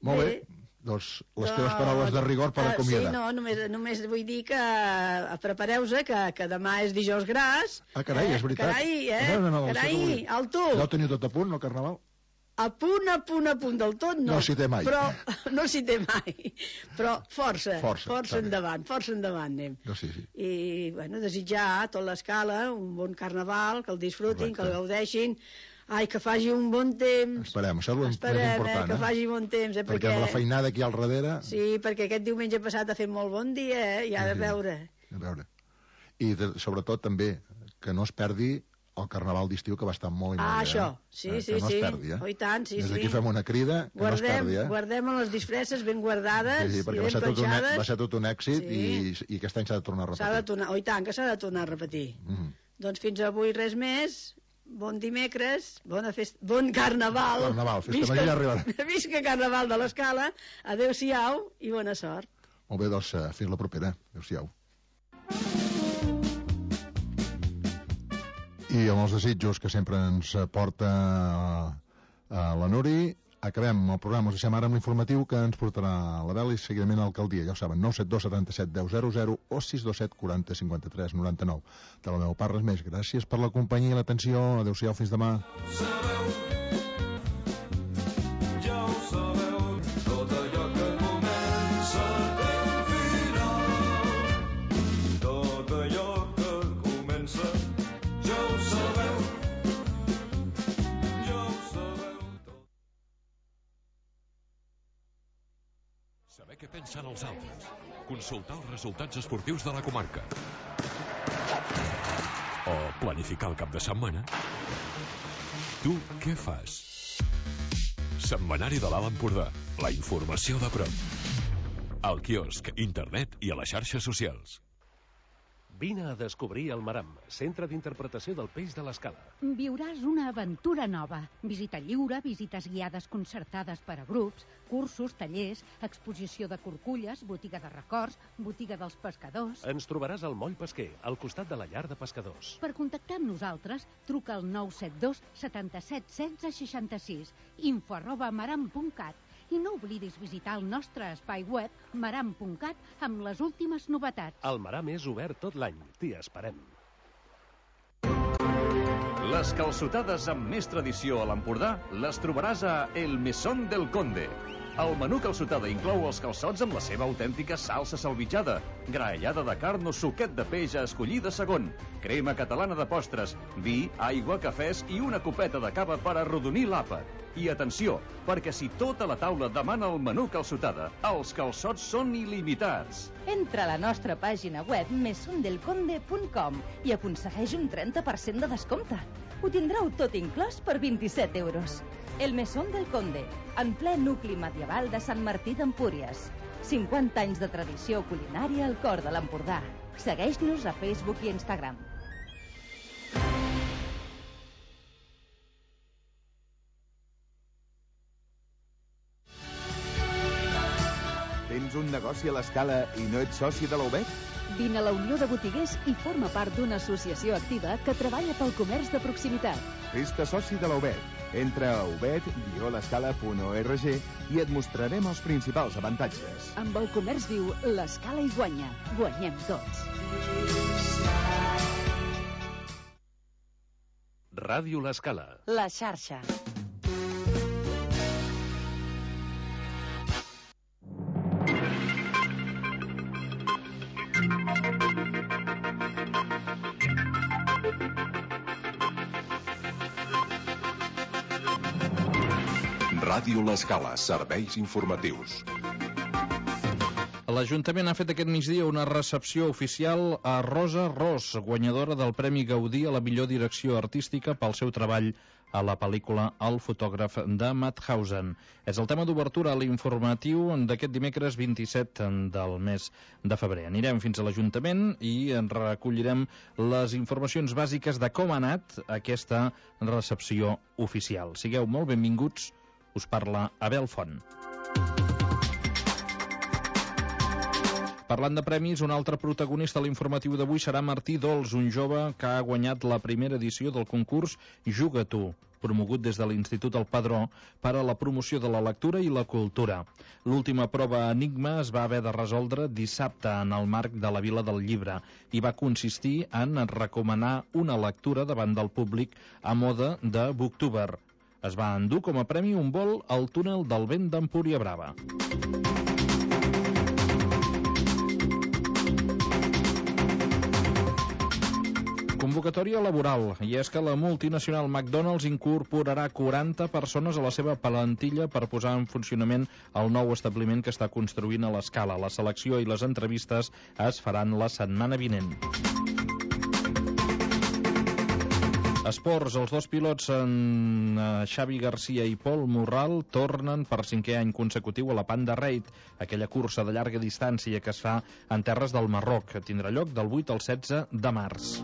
Molt bé. Doncs les teves paraules de rigor per acomiadar. Sí, no, només vull dir que prepareu-vos que demà és dijous gras. Carai, és veritat. Carai, alto. Ja ho teniu tot a punt, el carnaval? A punt del tot no. No s'hi té mai. Però, no s'hi té mai. Però força endavant anem. No, sí. I, bueno, desitjar a tota l'escala un bon carnaval, que el disfrutin, que el gaudeixin. Ai, que faci un bon temps. Esperem, això és important, que faci bon temps, perquè amb la feinada aquí al darrere... Sí, perquè aquest diumenge passat ha fet molt bon dia, i ha de veure. I sobretot també que no es perdi el carnaval d'estiu, que va estar molt i molt bé. Això, sí. Que no es perdi, Oh, i tant, sí. Des d'aquí fem una crida, que no es perdi, Guardem les disfresses ben guardades i ben penjades. Va ser tot un èxit i aquest any s'ha de tornar a repetir. Oh, i tant, que s'ha de tornar a repetir. Doncs fins avui res més. Bon dimecres, bona festa, bon carnaval. Festa major ja arribarà. Visca Carnaval de l'Escala. Adéu-siau i bona sort. Molt bé, doncs fins la propera. Adéu-siau. I amb els desitjos que sempre ens porta la Nuri, acabem el programa. Us deixem ara amb l'informatiu que ens portarà la Bel i seguidament a l'alcaldia. Ja ho saben, 972 77 10 00 o 627 40 53 99. De la meva part, res més. Gràcies per la companyia i l'atenció. Adéu-siau, fins demà. Saber què pensen els altres. Consultar els resultats esportius de la comarca. O planificar el cap de setmana. Tu què fas? Setmanari de l'Alt Empordà. La informació de prop. Al quiosc, internet i a les xarxes socials. Vine a descobrir el Maram, centre d'interpretació del peix de l'Escala. Viuràs una aventura nova. Visita lliure, visites guiades concertades per a grups, cursos, tallers, exposició de corculles, botiga de records, botiga dels pescadors... Ens trobaràs al Moll Pesquer, al costat de la llar de pescadors. Per contactar amb nosaltres, truca al 972 77 16 66, info@maram.cat. I no oblidis visitar el nostre espai web maram.cat amb les últimes novetats. El Maram és obert tot l'any. T'hi esperem. Les calçotades amb més tradició a l'Empordà les trobaràs a El Mesón del Conde. El menú calçotada inclou els calçots amb la seva autèntica salsa salvitjada, graellada de carn o suquet de peix a escollir de segon, crema catalana de postres, vi, aigua, cafès i una copeta de cava per arrodonir l'àpat. I atenció, perquè si tota la taula demana el menú calçotada, els calçots són il·limitats. Entra a la nostra pàgina web mesondelconde.com i aconsegueix un 30% de descompte. Ho tindreu tot inclòs per 27 euros. El Mesón del Conde, en ple nucli medieval de Sant Martí d'Empúries. 50 anys de tradició culinària al cor de l'Empordà. Segueix-nos a Facebook i Instagram. Tens un negoci a l'Escala i no ets soci de la UBEC? Vine a la Unió de Botiguers i forma part d'una associació activa que treballa pel comerç de proximitat. Fes-te soci de la UBEC. Entra a ubed-l'escala.org i et mostrarem els principals avantatges. Amb el comerç viu, l'Escala hi guanya. Guanyem tots. Ràdio l'Escala. La xarxa. Ràdio l'Escala, serveis informatius. L'Ajuntament ha fet aquest migdia una recepció oficial a Rosa Ros, guanyadora del Premi Gaudí a la millor direcció artística pel seu treball a la pel·lícula El fotògraf de Mauthausen. És el tema d'obertura a l'informatiu d'aquest dimecres 27 del mes de febrer. Anirem fins a l'Ajuntament i en recollirem les informacions bàsiques de com ha anat aquesta recepció oficial. Sigueu molt benvinguts. Us parla Abel Font. Parlant de premis, un altre protagonista a l'informatiu d'avui serà Martí Dols, un jove que ha guanyat la primera edició del concurs Juga Tu, promogut des de l'Institut El Padró per a la promoció de la lectura i la cultura. L'última prova Enigma es va haver de resoldre dissabte en el marc de la Vila del Llibre i va consistir en recomanar una lectura davant del públic a mode de Booktuber. Es va endur com a premi un vol al túnel del vent d'Empúria Brava. Convocatòria laboral, i és que la multinacional McDonald's incorporarà 40 persones a la seva plantilla per posar en funcionament el nou establiment que està construint a l'Escala. La selecció i les entrevistes es faran la setmana vinent. Esports, els dos pilots Xavi Garcia i Pol Morral tornen per 5è any consecutiu a la Panda Raid, aquella cursa de llarga distància que es fa en terres del Marroc, que tindrà lloc del 8 al 16 de març.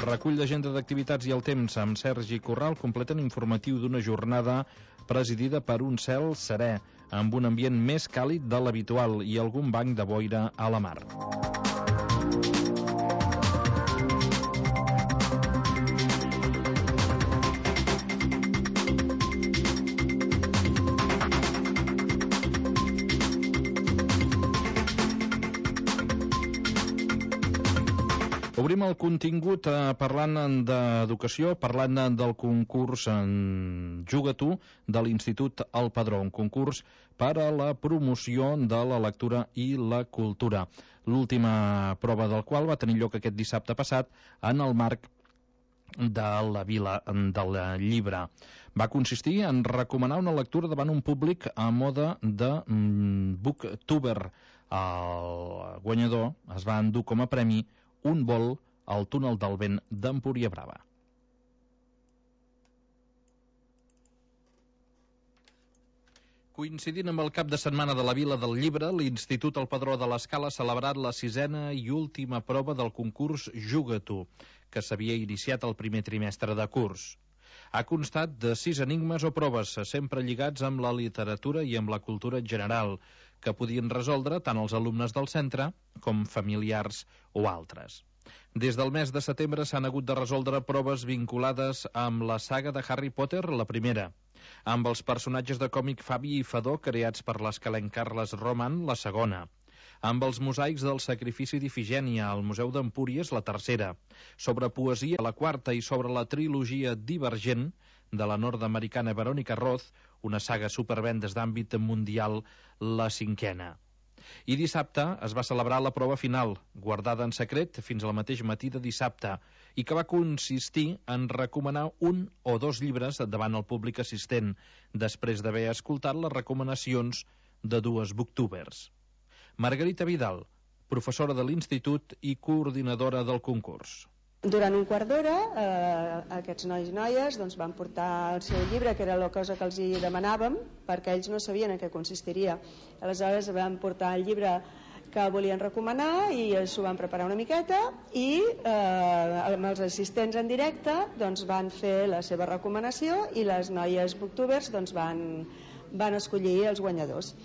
Recull d'agenda d'activitats i el temps amb Sergi Corral completen informatiu d'una jornada presidida per un cel serè, amb un ambient més càlid de l'habitual i algun banc de boira a la mar. Obrim el contingut parlant d'educació, parlant del concurs Juga Tu de l'Institut El Padró, un concurs per a la promoció de la lectura i la cultura. L'última prova del qual va tenir lloc aquest dissabte passat en el marc de la Vila del Llibre. Va consistir en recomanar una lectura davant un públic a mode de Booktuber. El guanyador es va endur com a premi un vol al túnel del vent d'Empúria Brava. Coincidint amb el cap de setmana de la Vila del Llibre, l'Institut El Padró de l'Escala ha celebrat la 6a i última prova del concurs Juga Tu, que s'havia iniciat el primer trimestre de curs. Ha constat de 6 enigmes o proves, sempre lligats amb la literatura i amb la cultura en general, que podien resoldre tant els alumnes del centre com familiars o altres. Des del mes de setembre s'han hagut de resoldre proves vinculades amb la saga de Harry Potter, la primera, amb els personatges de còmic Fabi i Fadó creats per l'escalenc Carles Roman, la segona, amb els mosaics del sacrifici d'Ifigènia al Museu d'Empúries, la tercera, sobre poesia, la quarta, i sobre la trilogia Divergent de la nord-americana Verónica Roth, una saga supervendes d'àmbit mundial, la 5a. I dissabte es va celebrar la prova final, guardada en secret fins al mateix matí de dissabte, i que va consistir en recomanar un o dos llibres davant el públic assistent, després d'haver escoltat les recomanacions de dues booktubers. Margarita Vidal, professora de l'Institut i coordinadora del concurs. Durant un quart d'hora aquests nois i noies van portar el seu llibre, que era la cosa que els hi demanàvem, perquè ells no sabien en què consistiria. Aleshores van portar el llibre que volien recomanar i s'ho van preparar una miqueta i amb els assistents en directe van fer la seva recomanació i les noies booktubers van escollir els guanyadors.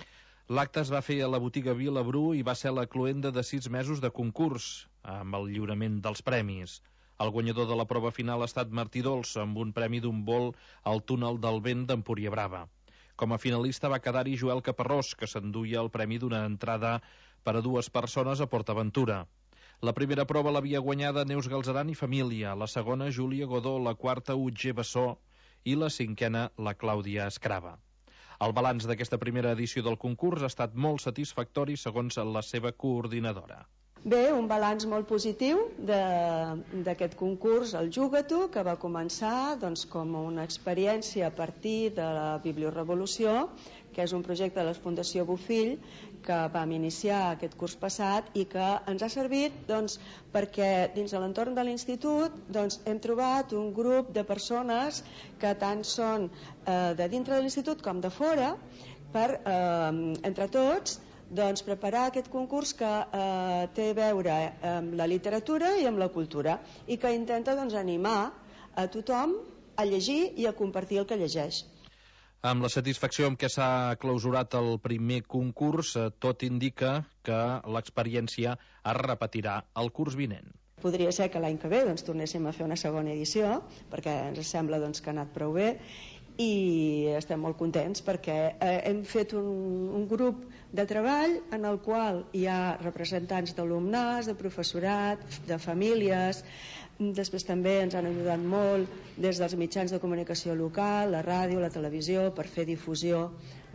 L'acte es va fer a la botiga Vila Bru i va ser la cloenda de 6 mesos de concurs, amb el lliurament dels premis. El guanyador de la prova final ha estat Martí Dols, amb un premi d'un vol al túnel del vent d'Empúria Brava. Com a finalista va quedar-hi Joel Caparrós, que s'enduia el premi d'una entrada per a 2 persones a PortAventura. La primera prova l'havia guanyada Neus Galzeran i família, la segona Júlia Godó, la quarta Utger Bessó i la 5a la Clàudia Escrava. El balanç d'aquesta primera edició del concurs ha estat molt satisfactori segons la seva coordinadora. Bé, un balanç molt positiu d'aquest concurs, el Juga Tu, que va començar com una experiència a partir de la Bibliorevolució, que és un projecte de la Fundació Bofill que vam iniciar aquest curs passat i que ens ha servit perquè dins de l'entorn de l'institut hem trobat un grup de persones que tant són de dintre de l'institut com de fora per, entre tots, preparar aquest concurs que té a veure amb la literatura i amb la cultura i que intenta animar a tothom a llegir i a compartir el que llegeix. Amb la satisfacció amb què s'ha clausurat el primer concurs, tot indica que l'experiència es repetirà el curs vinent. Podria ser que l'any que ve tornéssim a fer una segona edició, perquè ens sembla que ha anat prou bé, i estem molt contents perquè hem fet un grup de treball en el qual hi ha representants d'alumnats, de professorat, de famílies. Després també ens han ajudat molt des dels mitjans de comunicació local, la ràdio, la televisió, per fer difusió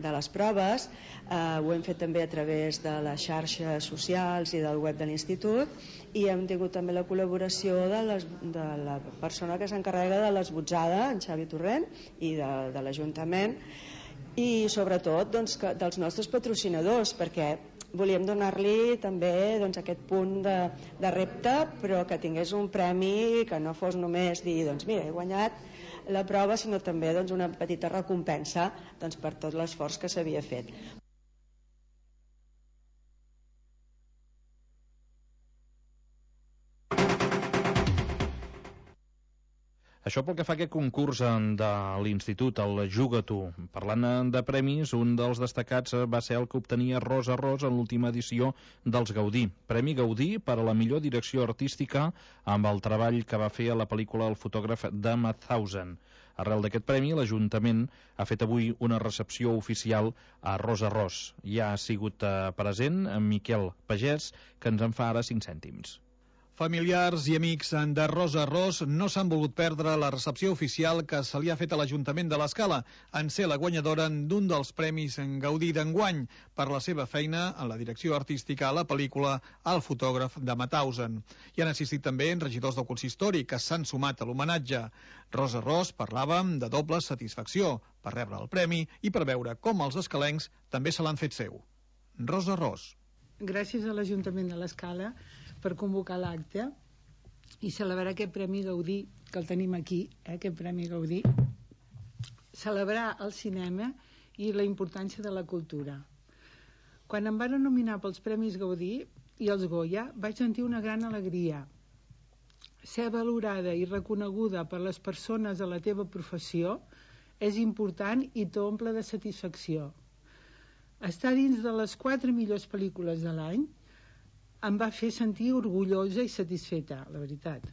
de les proves. Ho hem fet també a través de les xarxes socials i del web de l'institut, i hem tingut també la col·laboració de la persona que s'encarrega de l'esbotzada, en Xavi Torrent, i de l'Ajuntament, i sobretot dels nostres patrocinadors, perquè volíem donar-li també aquest punt de repte, però que tingués un premi que no fos només dir, mira, he guanyat la prova, sinó també una petita recompensa per tot l'esforç que s'havia fet. Això pel que fa a aquest concurs de l'Institut, el Juga-t'ho. Parlant de premis, un dels destacats va ser el que obtenia Rosa Ros en l'última edició dels Gaudí. Premi Gaudí per a la millor direcció artística amb el treball que va fer a la pel·lícula El fotògraf de Mauthausen. Arrel d'aquest premi, l'Ajuntament ha fet avui una recepció oficial a Rosa Ros. Ja ha sigut present Miquel Pagès, que ens en fa ara 5 cèntims. Familiars i amics de Rosa Ros no s'han volgut perdre la recepció oficial que se li ha fet a l'Ajuntament de l'Escala en ser la guanyadora d'un dels premis en Gaudí d'enguany per la seva feina en la direcció artística a la pel·lícula El fotògraf de Mauthausen. Hi han assistit també regidors del consistori que s'han sumat a l'homenatge. Rosa Ros parlava de doble satisfacció per rebre el premi i per veure com els escalencs també se l'han fet seu. Rosa Ros. Gràcies a l'Ajuntament de l'Escala per convocar l'acte i celebrar aquest Premi Gaudí, que el tenim aquí, aquest Premi Gaudí, celebrar el cinema i la importància de la cultura. Quan em van nominar pels Premis Gaudí i els Goya, vaig sentir una gran alegria. Ser valorada i reconeguda per les persones de la teva professió és important i t'omple de satisfacció. Estar dins de les 4 millors pel·lícules de l'any em va fer sentir orgullosa i satisfeta, la veritat.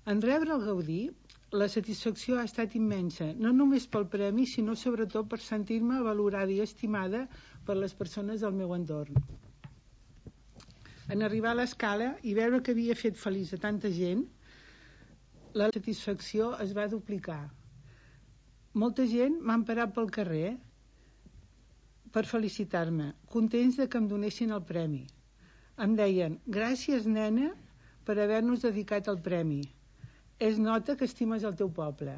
En rebre el Gaudí, la satisfacció ha estat immensa, no només pel premi, sinó sobretot per sentir-me valorada i estimada per les persones del meu entorn. En arribar a l'Escala i veure que havia fet feliç a tanta gent, la satisfacció es va duplicar. Molta gent m'han parat pel carrer per felicitar-me, contents de que em donessin el premi. Em deien, gràcies nena per haver-nos dedicat el premi. Es nota que estimes el teu poble.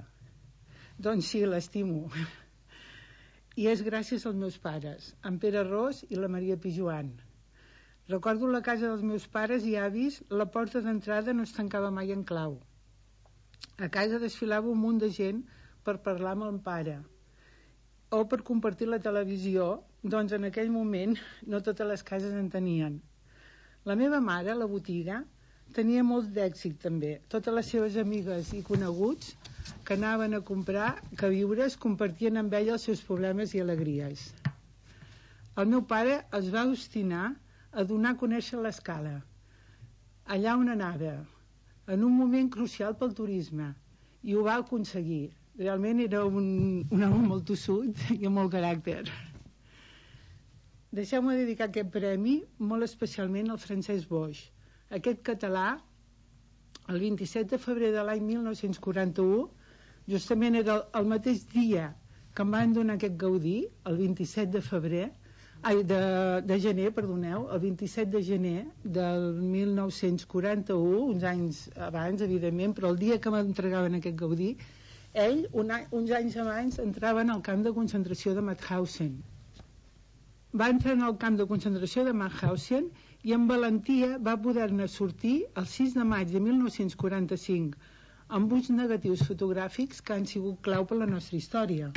Doncs sí, l'estimo. I és gràcies als meus pares, en Pere Ros i la Maria Pijuan. Recordo la casa dels meus pares i avis, la porta d'entrada no es tancava mai en clau. A casa desfilava un munt de gent per parlar amb el pare o per compartir la televisió, doncs en aquell moment no totes les cases en tenien. La meva mare, a la botiga, tenia molt d'èxit també. Totes les seves amigues i coneguts que anaven a comprar queviures compartien amb ella els seus problemes i alegries. El meu pare es va obstinar a donar a conèixer l'Escala, allà on anava, en un moment crucial pel turisme, i ho va aconseguir. Realment era un home molt tossut i amb molt caràcter. Deixeu-me dedicar aquest premi molt especialment al Francesc Boix. Aquest català, el 27 de febrer de l'any 1941, justament era el mateix dia que em van donar aquest Gaudí, el 27 de febrer, de gener, perdoneu, el 27 de gener del 1941, uns anys abans, evidentment, però el dia que m'entregaven aquest Gaudí, ell, uns anys abans, entrava en el camp de concentració de Mauthausen. Va entrar en el camp de concentració de Mauthausen i amb valentia va poder-ne sortir el 6 de maig de 1945 amb uns negatius fotogràfics que han sigut clau per la nostra història.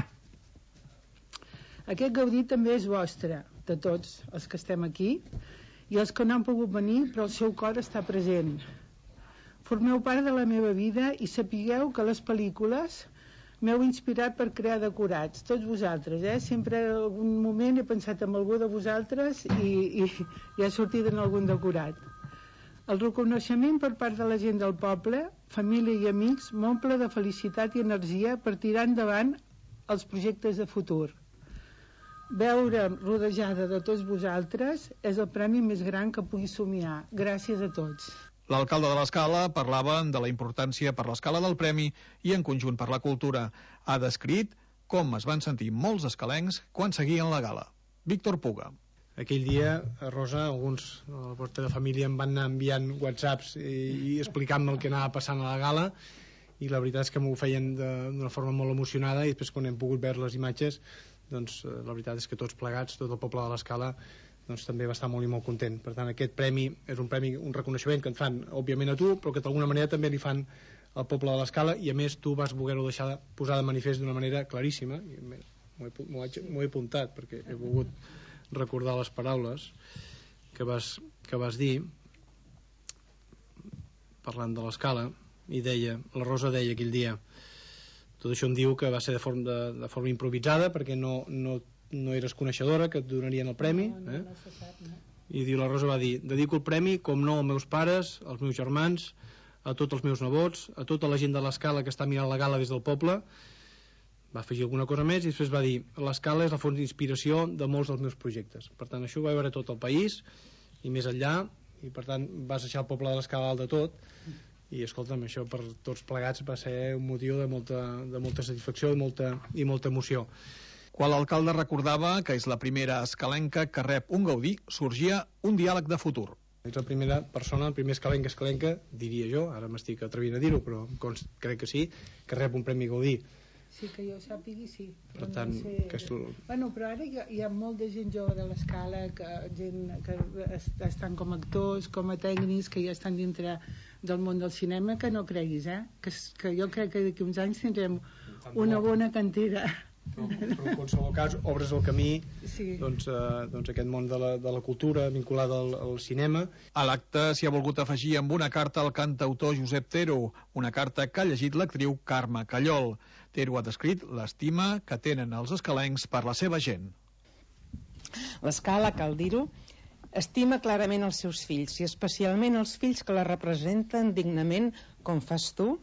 Aquest Gaudí també és vostre, de tots els que estem aquí i els que no han pogut venir, però el seu cor està present. Formeu part de la meva vida i sapigueu que les pel·lícules m'heu inspirat per crear decorats, tots vosaltres, Sempre en algun moment he pensat en algú de vosaltres i ha sortit en algun decorat. El reconeixement per part de la gent del poble, família i amics, m'omple de felicitat i energia per tirar endavant els projectes de futur. Veure'm rodejada de tots vosaltres és el premi més gran que pugui somiar. Gràcies a tots. L'alcalde de l'Escala parlava de la importància per l'Escala del premi i en conjunt per la cultura. Ha descrit com es van sentir molts escalencs quan seguien la gala. Víctor Puga. Aquell dia, Rosa, alguns de la vostra família em van anar enviant whatsapps i explicant-me el que anava passant a la gala, i la veritat és que m'ho feien d'una forma molt emocionada, i després quan hem pogut veure les imatges, doncs la veritat és que tots plegats, tot el poble de l'Escala, doncs també va estar molt i molt content. Per tant, aquest premi és un premi, un reconeixement que et fan, òbviament, a tu, però que d'alguna manera també li fan al poble de l'Escala, i a més tu vas voler-ho deixar posar de manifest d'una manera claríssima, i m'ho he apuntat perquè he volgut recordar les paraules que vas dir parlant de l'Escala, i deia, la Rosa deia aquell dia, tot això em diu que va ser de forma improvisada perquè no eres coneixedora que et donarien el premi, i diu, la Rosa va dir, dedico el premi com no als meus pares, als meus germans, a tots els meus nebots, a tota la gent de l'Escala que està mirant la gala des del poble. Va afegir alguna cosa més i després va dir, l'Escala és la font d'inspiració de molts dels meus projectes. Per tant, això ho va veure tot el país i més enllà, i per tant vas deixar el poble de l'Escala alt de tot, i escolta'm, això per tots plegats va ser un motiu de molta satisfacció i molta emoció. Quan l'alcalde recordava que és la primera escalenca que rep un Gaudí, sorgia un diàleg de futur. Ets la primera persona, el primer escalenca, diria jo, ara m'estic atrevint a dir-ho, però crec que sí, que rep un Premi Gaudí. Sí, que jo sàpigui, sí. Per tant, no sé... Bueno, però ara hi ha molta gent jove de l'Escala, gent que estan com actors, com a tècnics, que ja estan dintre del món del cinema, que no creguis, que jo crec que d'aquí uns anys tindrem una bona cantera. Però en qualsevol cas obres el camí, doncs aquest món de la cultura vinculada al cinema. A l'acte s'hi ha volgut afegir amb una carta al cantautor Josep Tero, una carta que ha llegit l'actriu Carme Callol. Tero ha descrit l'estima que tenen els escalencs per la seva gent. L'Escala, cal dir-ho, estima clarament els seus fills, i especialment els fills que la representen dignament, com fas tu,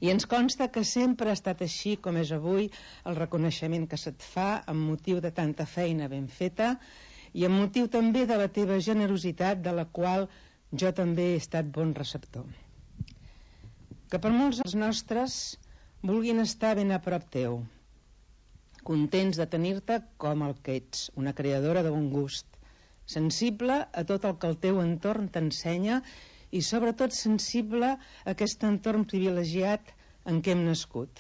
i ens consta que sempre ha estat així com és avui el reconeixement que se't fa amb motiu de tanta feina ben feta i amb motiu també de la teva generositat, de la qual jo també he estat bon receptor. Que per molts dels nostres vulguin estar ben a prop teu, contents de tenir-te com el que ets, una creadora de bon gust, sensible a tot el que el teu entorn t'ensenya i sobretot sensible a aquest entorn privilegiat en què hem nascut.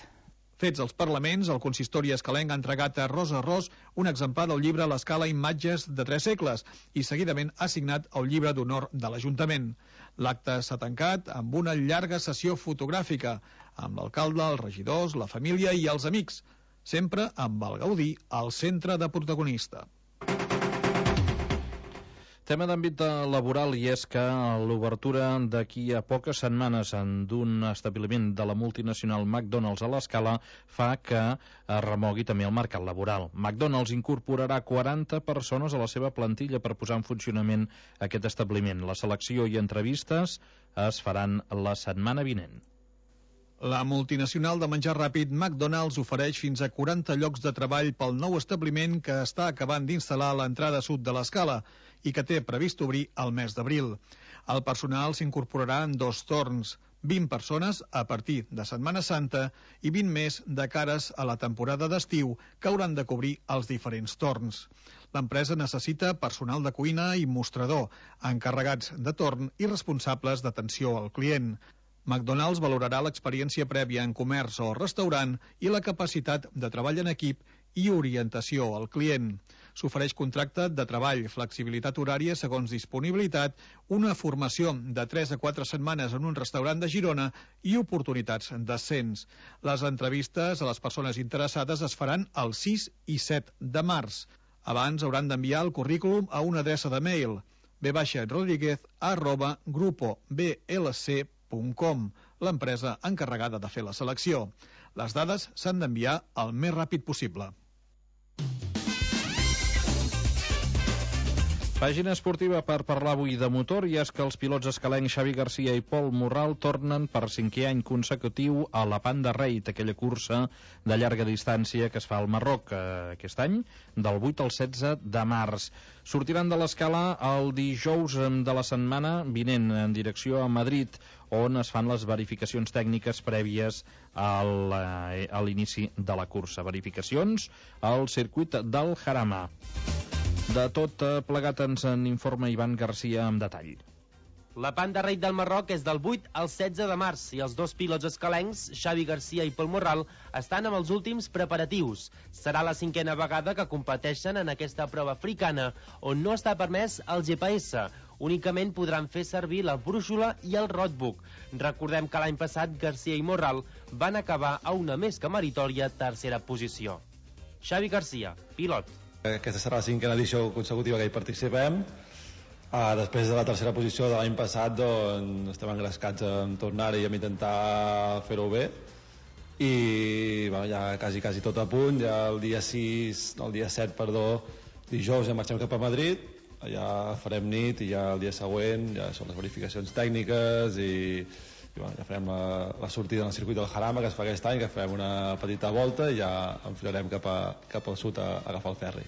Fets els parlaments, el consistori escalenc ha entregat a Rosa Ros un exemplar del llibre L'Escala Imatges de 3 segles i seguidament ha signat el llibre d'honor de l'Ajuntament. L'acte s'ha tancat amb una llarga sessió fotogràfica amb l'alcalde, els regidors, la família i els amics, sempre amb el Gaudí al centre de protagonista. Tema d'àmbit laboral, i és que l'obertura d'aquí a poques setmanes d'un establiment de la multinacional McDonald's a l'Escala fa que es remogui també el mercat laboral. McDonald's incorporarà 40 persones a la seva plantilla per posar en funcionament aquest establiment. La selecció i entrevistes es faran la setmana vinent. La multinacional de menjar ràpid McDonald's ofereix fins a 40 llocs de treball pel nou establiment que està acabant d'instal·lar a l'entrada sud de l'Escala i que té previst obrir el mes d'abril. El personal s'incorporarà en 2 torns, 20 persones a partir de Setmana Santa i 20 més de cares a la temporada d'estiu que hauran de cobrir els diferents torns. L'empresa necessita personal de cuina i mostrador, encarregats de torn i responsables d'atenció al client. McDonald's valorarà l'experiència prèvia en comerç o restaurant i la capacitat de treball en equip i orientació al client. S'ofereix contracte de treball, flexibilitat horària segons disponibilitat, una formació de 3 a 4 setmanes en un restaurant de Girona i oportunitats d'ascens. Les entrevistes a les persones interessades es faran el 6 i 7 de març. Abans hauran d'enviar el currículum a una adreça de mail brodríguez@grupoblc.com, l'empresa encarregada de fer la selecció. Les dades s'han d'enviar el més ràpid possible. Pàgina esportiva per parlar avui de motor, i és que els pilots escalencs Xavi Garcia i Pol Morral tornen per 5è any consecutiu a la Panda Raid, aquella cursa de llarga distància que es fa al Marroc aquest any, del 8 al 16 de març. Sortiran de l'Escala el dijous de la setmana vinent en direcció a Madrid, on es fan les verificacions tècniques prèvies a l'inici de la cursa. Verificacions al circuit del Jarama. De tot plegat ens en informa Ivan Garcia amb detall. La Panda Raid del Marroc és del 8 al 16 de març i els dos pilots escalencs, Xavi Garcia i Pol Morral, estan amb els últims preparatius. Serà la 5a vegada que competeixen en aquesta prova africana, on no està permès el GPS. Únicament podran fer servir la brúixola i el roadbook. Recordem que l'any passat Garcia i Morral van acabar a una més que meritòria tercera posició. Xavi Garcia, pilot. Aquesta serà la 5a edició consecutiva que hi participem. Després de la tercera posició de l'any passat, doncs, estem engrescats en tornar-hi i a intentar fer-ho bé. I bueno, ja quasi tot a punt. Ja el dia 7, dijous, ja marxem cap a Madrid. Allà farem nit i ja el dia següent ja són les verificacions tècniques i bueno, ja farem la sortida en el circuit del Jarama, que es fa aquest any, que farem una petita volta i ja enfilarem cap al sud a agafar el ferri.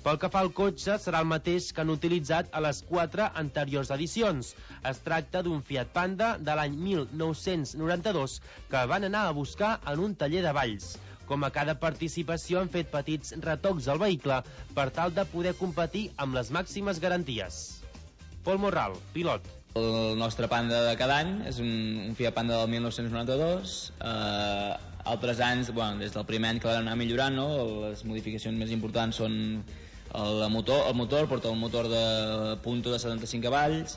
Pel que fa al cotxe, serà el mateix que han utilitzat a les 4 anteriors edicions. Es tracta d'un Fiat Panda de l'any 1992 que van anar a buscar en un taller de Valls. Com a cada participació han fet petits retocs al vehicle per tal de poder competir amb les màximes garanties. Pol Morral, pilot. El nostre Panda de cada any és un Fiat Panda del 1992. Altres anys, bueno, des del primer any que l'han anat millorant, no? Les modificacions més importants són el motor porta un motor de punto de 75 cavalls.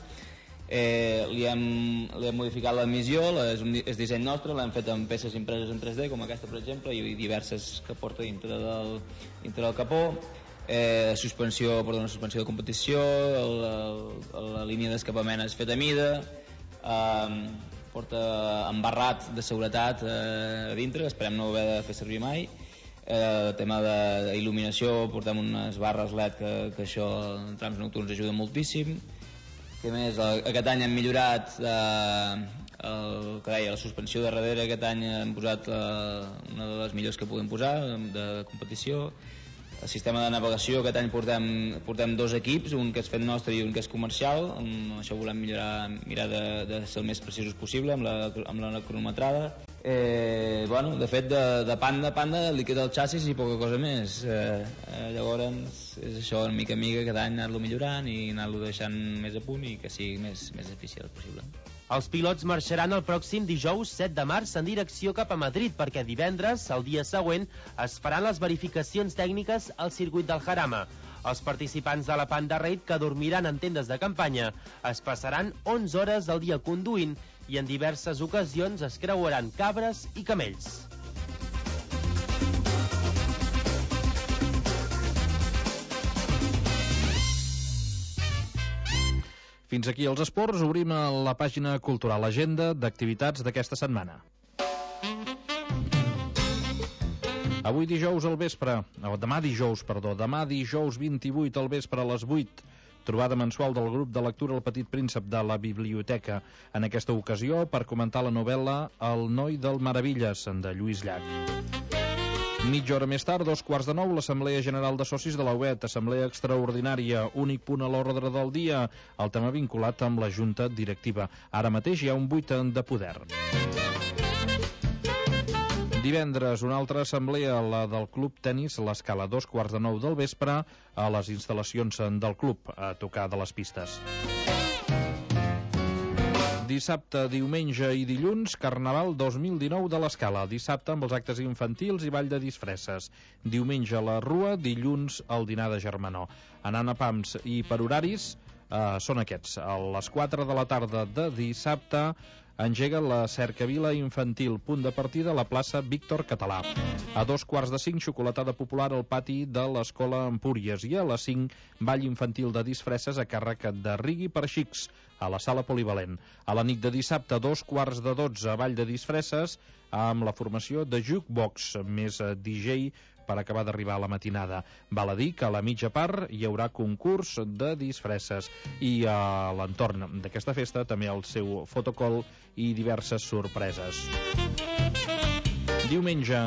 Li hem modificat l'emissió, és disseny nostre, l'hem fet amb peces impreses en 3D, com aquesta per exemple, i diverses que porta dintre del capó. Suspensió de competició, la línia d'escapament és feta a mida, porta embarrat de seguretat a dintre, esperem no haver de fer servir mai. Tema d'il·luminació, portem unes barres LED que això en trams nocturns ajuda moltíssim. Què més? Aquest any hem millorat el que deia, la suspensió de darrere. Aquest any hem posat una de les millors que podem posar de competició. El sistema de navegació, aquest any portem 2 equips, un que és fet nostre i un que és comercial. Amb això volem mirar de ser el més precisos possible amb la cronometrada. Bueno, de fet, de Panda li queda el xassis i poca cosa més. Llavors és això, mica en mica, cada any anar-lo millorant i anar-lo deixant més a punt i que sigui més eficient possible. Els pilots marxaran el pròxim dijous 7 de març en direcció cap a Madrid perquè divendres, el dia següent, es faran les verificacions tècniques al circuit del Jarama. Els participants de la Panda Raid, que dormiran en tendes de campanya, es passaran 11 hores al dia conduint i en diverses ocasions es creuaran cabres i camells. Fins aquí els esports, obrim la pàgina cultural, l'agenda d'activitats d'aquesta setmana. Avui dijous al vespre, demà dijous 28 al vespre a les 8, trobada mensual del grup de lectura El Petit Príncep de la Biblioteca. En aquesta ocasió, per comentar la novel·la El noi del Meravilles, de Lluís Llach. Mitja hora més tard, 8:45, l'Assemblea General de Socis de la UET, assemblea extraordinària, únic punt a l'ordre del dia, el tema vinculat amb la Junta Directiva. Ara mateix hi ha un buit de poder. Divendres, una altra assemblea, la del Club Tenis l'Escala, 8:15 del vespre, a les instal·lacions del club, a tocar de les pistes. Dissabte, diumenge i dilluns, Carnaval 2019 de l'Escala. Dissabte amb els actes infantils i ball de disfresses. Diumenge la Rua, dilluns el dinar de germanor. Anant a pams i per horaris són aquests. A les 4 de la tarda de dissabte engega la cercavila infantil, punt de partida a la plaça Víctor Català. A 2:45, xocolatada popular al pati de l'Escola Empúries, i a les 5, ball infantil de disfresses a càrrec de Rigui per xics, a la sala polivalent. A la nit de dissabte, 11:45, ball de disfresses amb la formació de Jukebox, més DJ per acabar d'arribar a la matinada. Val a dir que a la mitja part hi haurà concurs de disfresses i a l'entorn d'aquesta festa també el seu fotocall i diverses sorpreses. Diumenge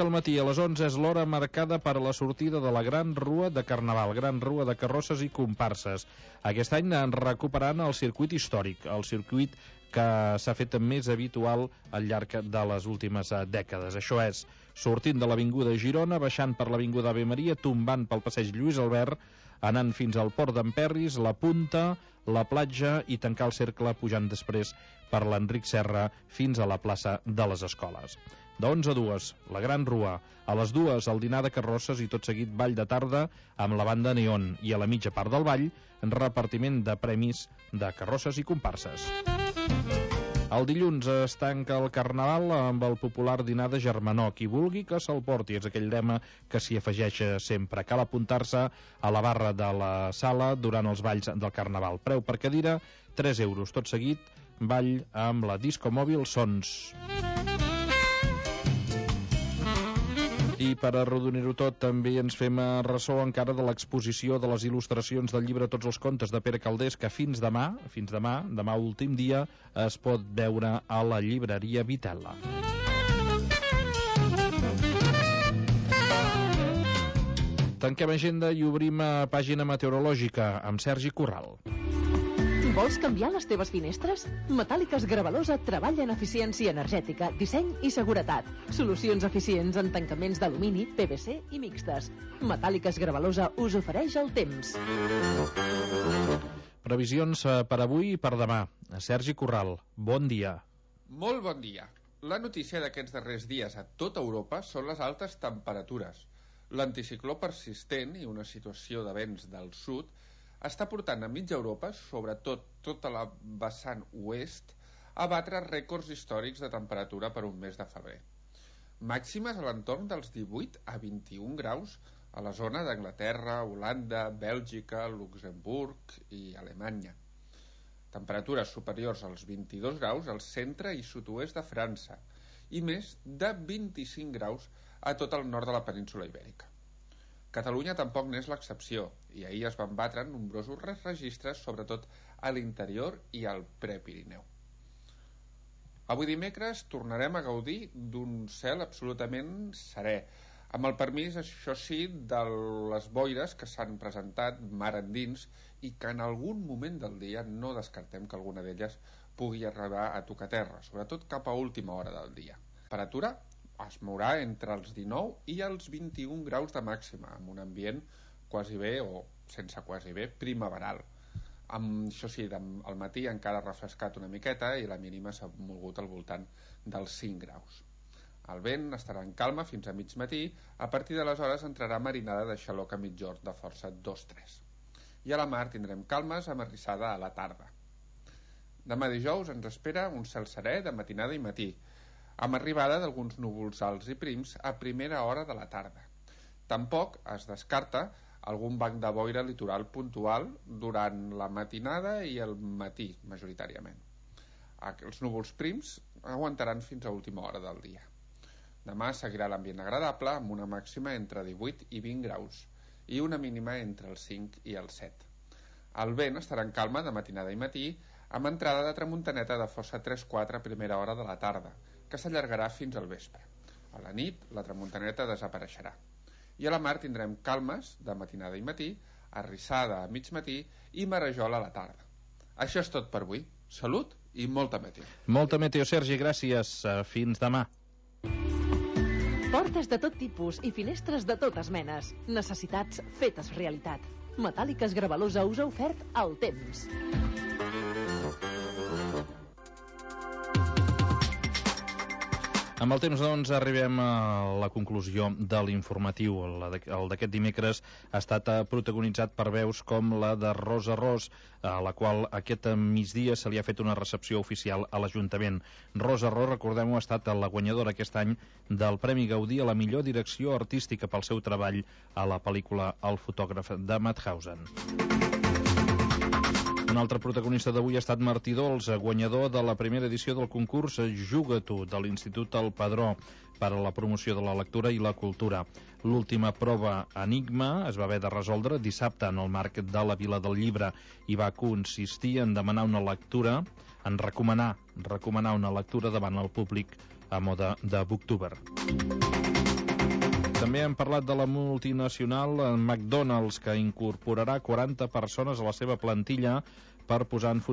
al matí a les 11 és l'hora marcada per a la sortida de la Gran Rua de Carnaval, Gran Rua de carrosses i comparses. Aquest any recuperant el circuit històric, el circuit que s'ha fet més habitual al llarg de les últimes dècades. Això és, sortint de l'Avinguda Girona, baixant per l'Avinguda Ave Maria, tombant pel passeig Lluís Albert, anant fins al Port d'Emperris, la Punta, la platja i tancar el cercle pujant després per l'Enric Serra fins a la plaça de les Escoles. De 11 a 2, la Gran Rua. A les 2, el dinar de carrosses i tot seguit ball de tarda amb la banda Neon. I a la mitja part del ball, repartiment de premis de carrosses i comparses. El dilluns es tanca el Carnaval amb el popular dinar de germanor. Qui vulgui que se'l porti, és aquell lema que s'hi afegeix sempre. Cal apuntar-se a la barra de la sala durant els balls del Carnaval. Preu per cadira, 3 euros. Tot seguit, ball amb la disco mòbil Sons. I per arrodonir-ho tot també ens fem ressò encara de l'exposició de les il·lustracions del llibre Tots els contes de Pere Calders, que fins demà últim dia, es pot veure a la llibreria Vitella. Tanquem agenda i obrim pàgina meteorològica amb Sergi Corral. Vols canviar les teves finestres? Metàl·liques Gravalosa treballa en eficiència energètica, disseny i seguretat. Solucions eficients en tancaments d'alumini, PVC i mixtes. Metàl·liques Gravalosa us ofereix el temps. Previsions per avui i per demà. Sergi Corral, bon dia. Molt bon dia. La notícia d'aquests darrers dies a tota Europa són les altes temperatures. L'anticicló persistent i una situació de vents del sud està portant a mitja Europa, sobretot tota la vessant oest, a batre rècords històrics de temperatura per un mes de febrer. Màximes a l'entorn dels 18 a 21 graus a la zona d'Anglaterra, Holanda, Bèlgica, Luxemburg i Alemanya. Temperatures superiors als 22 graus al centre i sud-oest de França i més de 25 graus a tot el nord de la península Ibèrica. Catalunya tampoc n'és l'excepció, i ahir es van batre nombrosos registres, sobretot a l'interior i al Prepirineu. Avui dimecres tornarem a gaudir d'un cel absolutament serè, amb el permís, això sí, de les boires que s'han presentat mar endins i que en algun moment del dia no descartem que alguna d'elles pugui arribar a tocar terra, sobretot cap a última hora del dia. Temperatura es mourà entre els 19 i els 21 graus de màxima, amb un ambient quasi bé, o sense quasi bé, primaveral. Això sí, al matí encara ha refrescat una miqueta i la mínima s'ha mogut al voltant dels 5 graus. El vent estarà en calma fins a mig matí, a partir d'aleshores entrarà marinada de xaloc a mitjorn de força 2-3. I a la mar tindrem calmes amb arrissada a la tarda. Demà dijous ens espera un cel serè de matinada i matí, amb arribada d'alguns núvols alts i prims a primera hora de la tarda. Tampoc es descarta algun banc de boira litoral puntual durant la matinada i el matí, majoritàriament. Els núvols prims aguantaran fins a última hora del dia. Demà seguirà l'ambient agradable, amb una màxima entre 18 i 20 graus i una mínima entre els 5 i els 7. El vent estarà en calma de matinada i matí, amb entrada de tramuntaneta de força 3-4 a primera hora de la tarda, que s'allargarà fins al vespre. A la nit, la tramuntaneta desapareixerà. I a la mar tindrem calmes de matinada i matí, arrissada a mig matí i marejol a la tarda. Això és tot per avui. Salut i molta meteo. Molta meteo, Sergi, gràcies. Fins demà. Portes de tot tipus i finestres de totes menes. Necessitats fetes realitat. Metàl·liques Gravalosa us ha ofert el temps. Amb el temps, doncs, arribem a la conclusió de l'informatiu. El d'aquest dimecres ha estat protagonitzat per veus com la de Rosa Ros, a la qual aquest migdia se li ha fet una recepció oficial a l'Ajuntament. Rosa Ros, recordem-ho, ha estat la guanyadora aquest any del Premi Gaudí a la millor direcció artística pel seu treball a la pel·lícula El fotògraf de Mauthausen. Un altre protagonista d'avui ha estat Martí Dols, guanyador de la primera edició del concurs Juga-t'ho de l'Institut El Padró per a la promoció de la lectura i la cultura. L'última prova Enigma es va haver de resoldre dissabte en el marc de la Vila del Llibre i va consistir en demanar una lectura, en recomanar una lectura davant el públic a mode de Booktuber. També hem parlat de la multinacional McDonald's, que incorporarà 40 persones a la seva plantilla per posar en funcionament